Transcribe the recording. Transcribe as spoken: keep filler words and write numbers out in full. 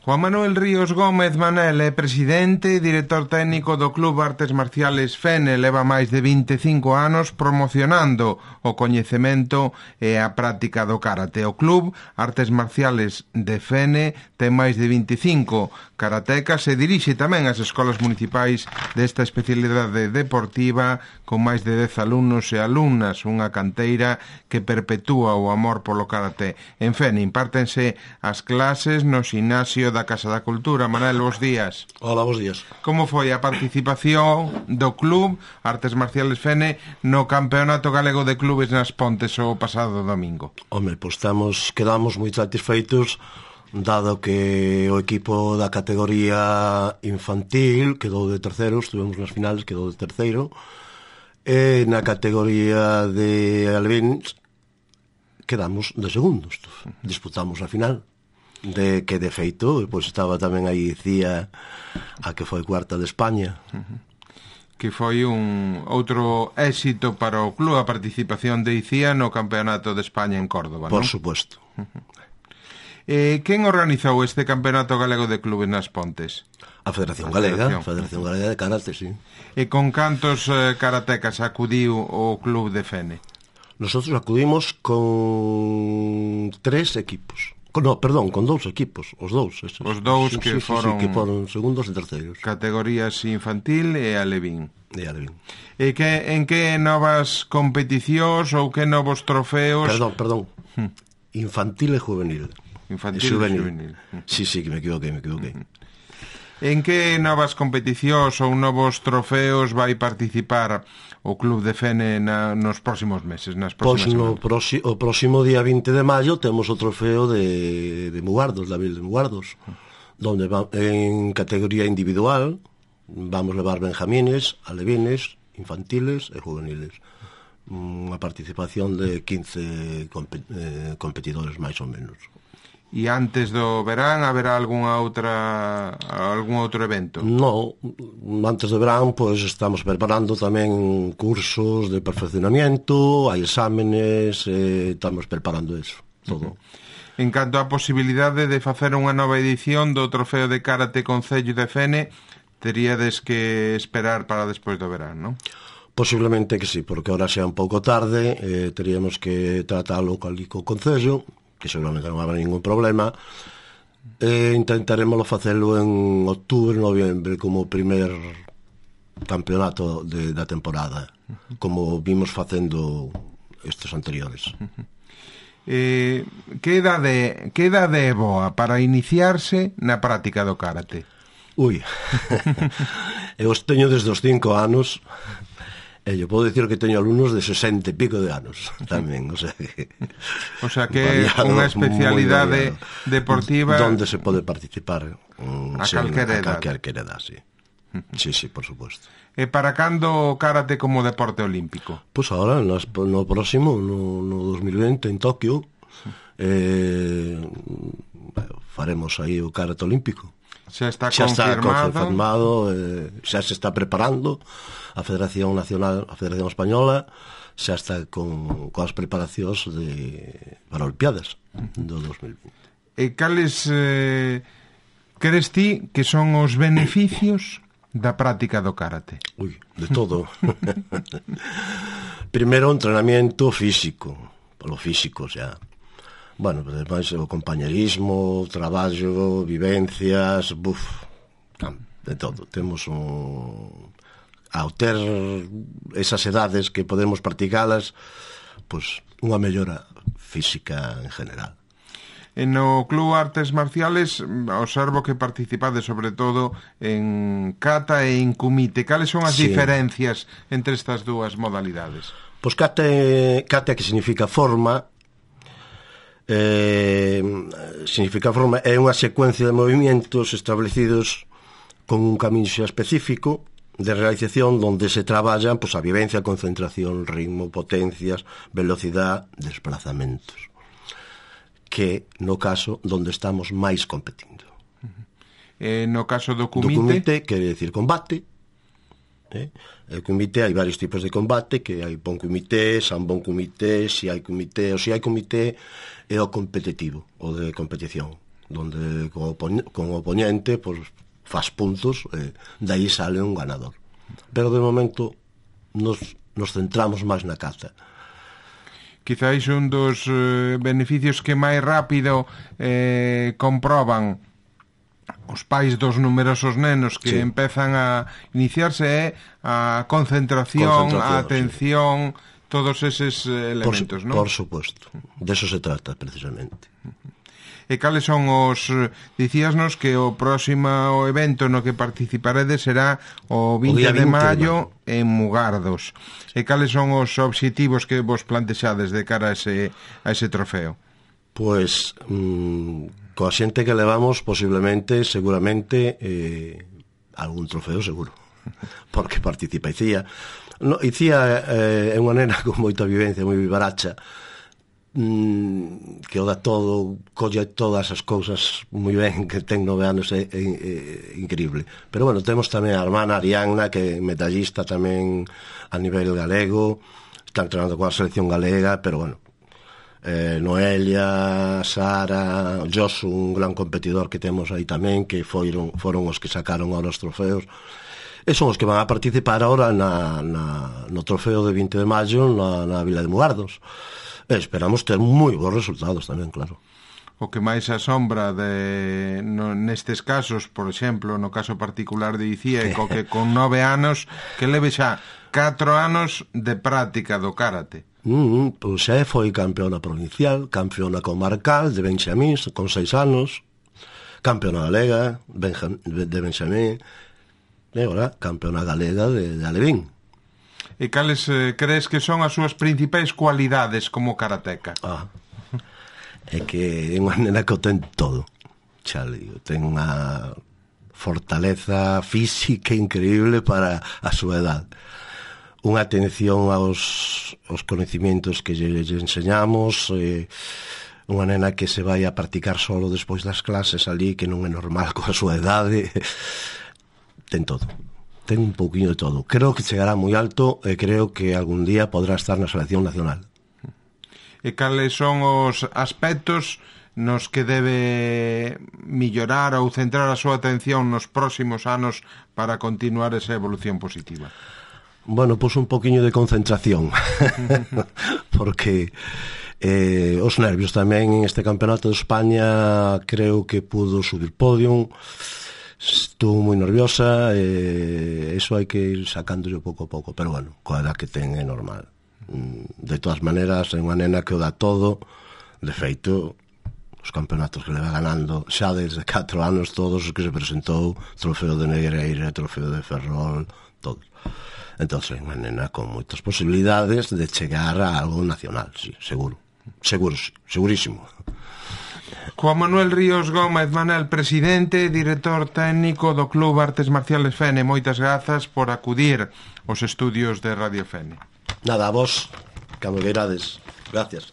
Juan Manuel Ríos Gómez Manel é presidente e director técnico do Club Artes Marciales Fene. Leva máis de vinte e cinco anos promocionando o coñecemento e a práctica do karate. O Club Artes Marciales de Fene ten máis de vinte e cinco karatecas e dirixe tamén as escolas municipais desta especialidade deportiva con máis de dez alumnos e alumnas, unha canteira que perpetúa o amor polo karate. En Fene impártense as clases no ximnasio da Casa da Cultura. Manel, bos días. Hola, bos días. Como foi a participación do Club Artes Marciales Fene no Campeonato Galego de Clubes nas Pontes o pasado domingo? Home, pois estamos, quedamos moi satisfeitos, dado que o equipo da categoría infantil quedou de terceiro, estuvemos nas finales, quedou de terceiro, e na categoría de alevins quedamos de segundos. Disputamos a final, de que de feito, pois estaba tamén aí Cía, a que foi cuarta de España. Uh-huh. Que foi un outro éxito para o club, a participación de Icía no Campeonato de España en Córdoba, Por non? suposto. Uh-huh. Eh, quen organizou este Campeonato Galego de Clubes nas Pontes? A Federación Galega, a Federación Galega de Karate, sí. E con cantos eh, karatecas acudiu o club de Fene? Nosotros acudimos con tres equipos. No, perdón, con dous equipos, os dous. Esos. Os dous sí, que sí, foron... Sí, que foron segundos e terceiros. Categorías infantil e alevín. E alevín. E que, en que novas competicións ou que novos trofeos... Perdón, perdón. Hmm. Infantil e juvenil. Infantil e juvenil. juvenil. Sí, sí, que me equivoquei, me equivoquei. Uh-huh. En que novas competicións ou novos trofeos vai participar o Club de Fene na, nos próximos meses, nas próximas Pois no semanas? proxi, o próximo día vinte de maio temos o trofeo de, de Mugardos, da Vil de Mugardos, donde va, en categoría individual vamos levar benjamines, alevines, infantiles e juveniles. Unha participación de quince compet, eh, competidores máis ou menos. E antes do verán haberá algunha outra algún outro evento? No, antes do verán pois estamos preparando tamén cursos de perfeccionamiento, hai exámenes, eh, estamos preparando eso, todo. Uh-huh. En canto á posibilidade de facer unha nova edición do Trofeo de Karate Concello de Fene, teríades que esperar para despois do verán, non? Posiblemente que sí, porque ahora xa un pouco tarde, eh, teríamos que tratalo co co Concello, que seguramente non habrá ningún problema, e intentaremos facelo en outubro, noviembre, como o primer campeonato de, da temporada, como vimos facendo estes anteriores. Eh, que idade que idade é boa para iniciarse na práctica do karate? Ui, eu os teño desde os cinco anos. E eu podo dicir que teño alumnos de sesenta e pico de anos tamén, o sea que... O sea que é unha especialidade deportiva... Donde se pode participar um, a calquer edad. A calquer edad, sí. Sí, sí, por suposto. E para cando o karate como deporte olímpico? Pois pues ahora, no, no próximo, no, no dos mil vinte, en Tokio, eh, faremos aí o karate olímpico. Xa está xa confirmado, está confirmado eh, xa se está preparando a Federación Nacional, a Federación Española xa está con, con as preparacións de, para Olimpiadas do dos mil vinte. E cales eh, crees ti que son os beneficios da práctica do karate? Ui, de todo. Primeiro, entrenamiento físico, polo físico, xa. Bueno, ademais o compañerismo, o traballo, vivencias, buf, de todo. Temos un... ao ter esas edades que podemos practicalas, pois unha mellora física en general. E no Club Artes Marciales observo que participades sobre todo en kata e en kumite. Cales son as sí. diferencias entre estas dúas modalidades? Pois kata, kata que significa forma, Eh, significa forma é unha secuencia de movimentos establecidos con un camiño específico de realización donde se traballan pois, a vivencia, concentración, ritmo, potencias, velocidade, desplazamentos, que no caso donde estamos máis competindo. Eh, no caso do kumite, do kumite quere decir combate, eh? El kumite hai varios tipos de combate, que hai bon kumite, sanbon kumite, si hai kumite, ou si hai kumite é o competitivo, o de competición. donde con, opon con oponente pues, faz puntos, e de aí sale un ganador. Pero de momento nos, nos centramos máis na caza. Quizáis un dos eh, beneficios que máis rápido eh, comproban os pais dos numerosos nenos que sí. empezan a iniciarse é a concentración, concentración a atención, sí. todos eses elementos, por, non? Por suposto, de eso se trata precisamente. E cales son os... Dicíasnos que o próximo evento no que participaredes será o vinte de maio en Mugardos. E cales son os obxectivos que vos plantexades de cara a ese, a ese trofeo? Pois, mmm, coa xente que levamos, posiblemente, seguramente, eh, algún trofeo seguro. Porque participa Icía. No, Icía eh, é unha nena con moita vivencia, moi vivaracha, que o dá todo, colle todas as cousas moi ben, que ten nove anos, é, é, é increíble. Pero bueno, temos tamén a hermana Arianna, que é medallista tamén a nivel galego, está entrenando coa selección galega, pero bueno, eh, Noelia, Sara, Josu, un gran competidor que temos aí tamén, que foron, foron os que sacaron ahora os trofeos, e son os que van a participar ahora na, na, no trofeo de vinte de maio na, na Vila de Mugardos. Esperamos ter moi bons resultados tamén, claro. O que máis asombra de, no, nestes casos, por exemplo, no caso particular de Icía, é co que con nove anos, que leve xa catro anos de práctica do karate. Mm, pois xa foi campeona provincial, campeona comarcal de Benxamín, con seis anos, campeona galega de Benxamín, e agora campeona galega de, de Alevín. E cales eh, crees que son as súas principais cualidades como karateca? Ah, é que é unha nena que o ten todo. Xa digo, ten unha fortaleza física increíble para a súa edad. Unha atención aos, aos conhecimentos que lle, lle enseñamos, eh, unha nena que se vai a practicar solo despois das clases ali, que non é normal coa súa edade. Ten todo. Ten un pouquinho de todo. Creo que chegará moi alto e creo que algún día podrá estar na selección nacional. E cales son os aspectos nos que debe mellorar ou centrar a súa atención nos próximos anos para continuar esa evolución positiva? Bueno, pois un poquinho de concentración. Porque eh, os nervios tamén en este campeonato de España creo que pudo subir podium. Estou moi nerviosa e iso hai que ir sacándolo pouco a pouco, pero bueno, coa edad que ten é normal. De todas maneras, é unha nena que o dá todo. De feito, os campeonatos que leva ganando xa desde catro anos, todos os que se presentou, trofeo de Negreira, trofeo de Ferrol, todos. Entón, é unha nena con moitas posibilidades de chegar a algo nacional, sí, seguro. Seguro, segurísimo. Juan Manuel Ríos Gómez Manel, presidente e director técnico do Club Artes Marciales Fene, moitas grazas por acudir aos estudios de Radio Fene. Nada, a vos, cando queirades. Gracias.